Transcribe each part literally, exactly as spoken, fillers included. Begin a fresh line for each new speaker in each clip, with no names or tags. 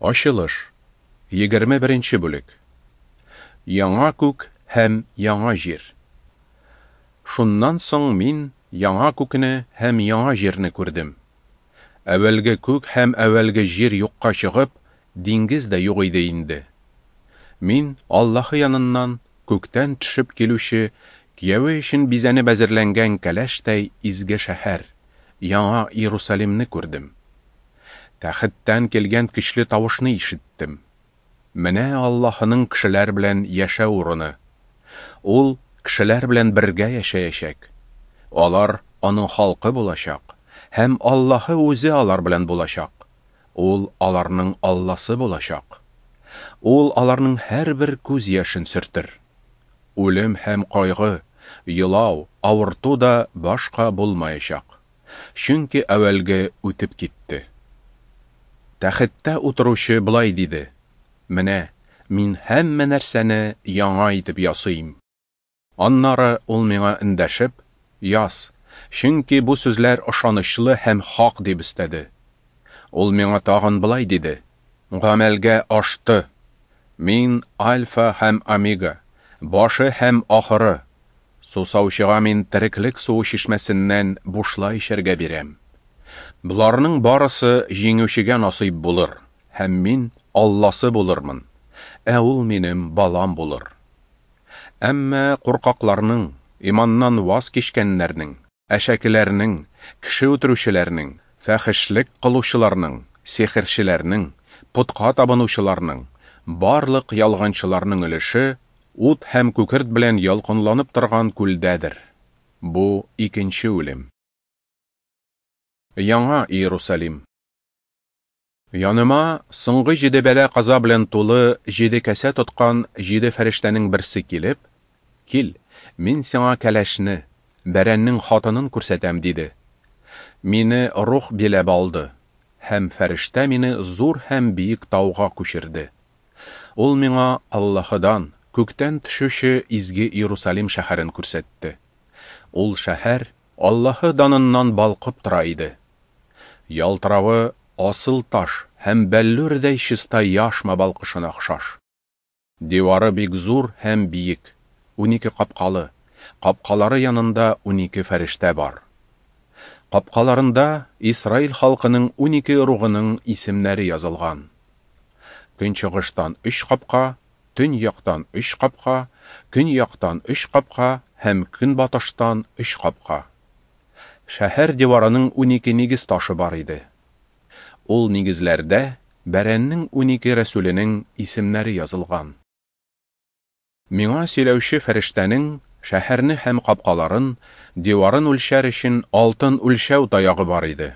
Ачылыш, егерме беренче бүлек. Яңа күк һәм яңа җир. Шуннан соң мин яңа күкне һәм яңа җирне күрдем. Әүвәлге күк һәм әүвәлге җир юкка чыгып, диңгез дә юк иде инде. Мин Аллаһы яныннан күктән төшеп килүче, кияве өчен бизәнеп әзерләнгән кәләштәй изге шәһәр, яңа Иерусалимны күрдем. Тәхеттән килгән көчле тавышны ишеттем. Менә Аллаһының кешеләр белән яшәү урыны. Ул кешеләр белән бергә яшәячәк. Алар аның халкы булачак, һәм Аллаһы үзе алар белән булачак. Ул аларның Алласы булачак. Ул аларның һәрбер күз яшен сөртер. Үлем һәм кайгы, елау, авырту да башка булмаячак. Чөнки әүвәлге үтеп китте. Тәхеттә утыручы болай диде: Менә мин һәммә нәрсәне яңа итеп ясыйм. Аннары ул миңа эндәшеп: Яз, чөнки бу сүзләр ышанычлы һәм хак, дип өстәде. Ул миңа тагын болай диде: Гамәлгә ашты. Мин Альфа һәм Омега, башы һәм ахыры. Сусаучыга мин тереклек суы чишмәсеннән бушлай эчәргә бирәм. Боларның барысы җиңүчегә насыйп булыр, һәм мин Алласы булырмын, ә ул минем балам булыр. Әмма куркакларның, иманнан ваз кичкәннәрнең, әшәкеләрнең, кеше үтерүчеләрнең, фәхешлек кылучыларның, сихерчеләрнең, путка табынучыларның, барлык ялганчыларның өлеше ут һәм күкерт белән ялкынланып торган күлдәдер. Бу икенче үлем. Яңа Иерусалим. Яныма соңгы җиде бәла-каза белән тулы җиде кәсә тоткан җиде фәрештәнең берсе килеп: Кил, мин сиңа кәләшне, бәрәннең хатынын күрсәтәм, диде. Мине рух биләп алды, һәм фәрештә мине зур һәм биек тауга күчерде. Ул миңа Аллаһыдан, күктән төшүче изге Иерусалим шәһәрен күрсәтте. Ул шәһәр Аллаһы даныннан балкып тора иде. Ялтыравы асыл таш һәм бәллүрдәй чиста яшма балкышына охшаш. Дивары бик зур һәм биек, унике капкалы, капкалары янында унике фәрештә бар. Капкаларында Исраил халкының унике ыругының исемнәре язылган. Көнчыгыштан өч капка, төньяктан өч капка, көньяктан өч капка һәм көнбатыштан өч капка. Шәһәр диварының унике нигез ташы бар иде. Ул нигезләрдә бәрәннең унике рәсүленең исемнәре язылган. Миңа сөйләүче фәрештәнең шәһәрне һәм капкаларын, диварын үлчәр өчен алтын үлчәү таягы бар иде.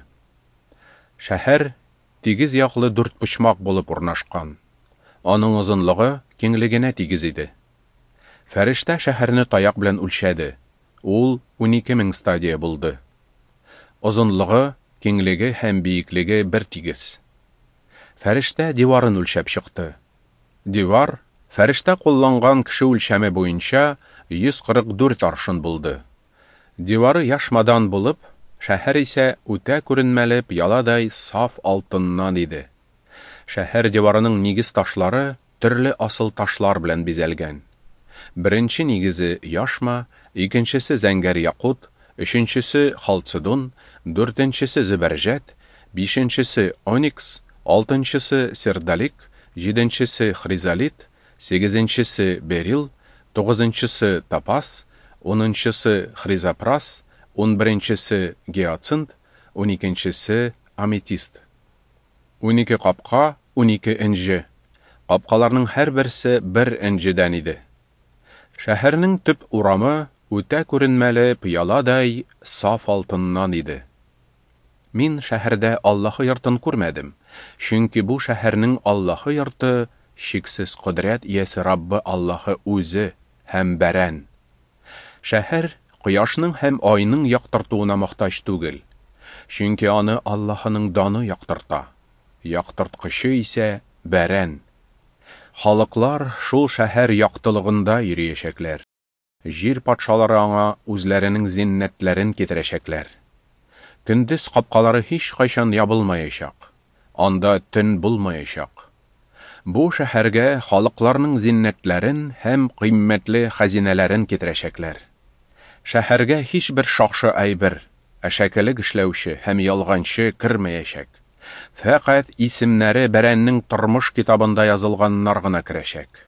Шәһәр тигез яклы дүрт почмак булып урнашкан. Аның озынлыгы киңлегенә тигез иде. Фәрештә шәһәрне таяк белән үлчәде. Ул унике мең стадия булды. Озынлыгы, киңлеге һәм биеклеге бер тигез. Фәрештә диварын үлчәп чыкты. Дивар фәрештә кулланган кеше үлчәме буенча йөз кырык дүрт аршын булды. Дивары яшмадан булып, шәһәр исә үтә күренмәле пыяладай саф алтыннан иде. Шәһәр диварының нигез ташлары төрле асыл ташлар белән бизәлгән. Беренче нигезе яшма, икенчесе зәңгәр якут, өченчесе халцедон, дүртенчесе зөбәрҗәт, бишенчесе оникс, алтынчысы сердолик, җиденчесе хризолит, сигезенчесе берил, тугызынчысы топаз, унынчысы хризопрас, унберенчесе гиацинт, уникенчесе аметист. Унике капка, унике энҗе. Капкаларның һәрберсе бер энҗедән иде. Шәһәрнең төп урамы үтә күренмәле пыяладай саф алтыннан иде. Мин шәһәрдә Аллаһы йортын күрмәдем, чөнки бу шәһәрнең Аллаһы йорты чиксез кодрәт иясе Раббы Аллаһы үзе һәм бәрән. Шәһәр кояшның һәм айның яктыртуына мохтаҗ түгел, чөнки аны Аллаһының даны яктырта. Яктырткычы исә бәрән. Халыклар шул шәһәр яктылыгында йөриячәкләр. Җир патшалары аңа үзләренең зиннәтләрен китерәчәкләр. Көндез капкалары һич кайчан ябылмаячак, анда төн булмаячак. Бу шәһәргә халыкларның зиннәтләрен һәм кыйммәтле хәзинәләрен китерәчәкләр. Шәһәргә һичбер шакшы әйбер, әшәкелек эшләүче һәм ялганчы кермәячәк. Фәкать исемнәре Бәрәннең тормыш китабында язылганнар гына керәчәк.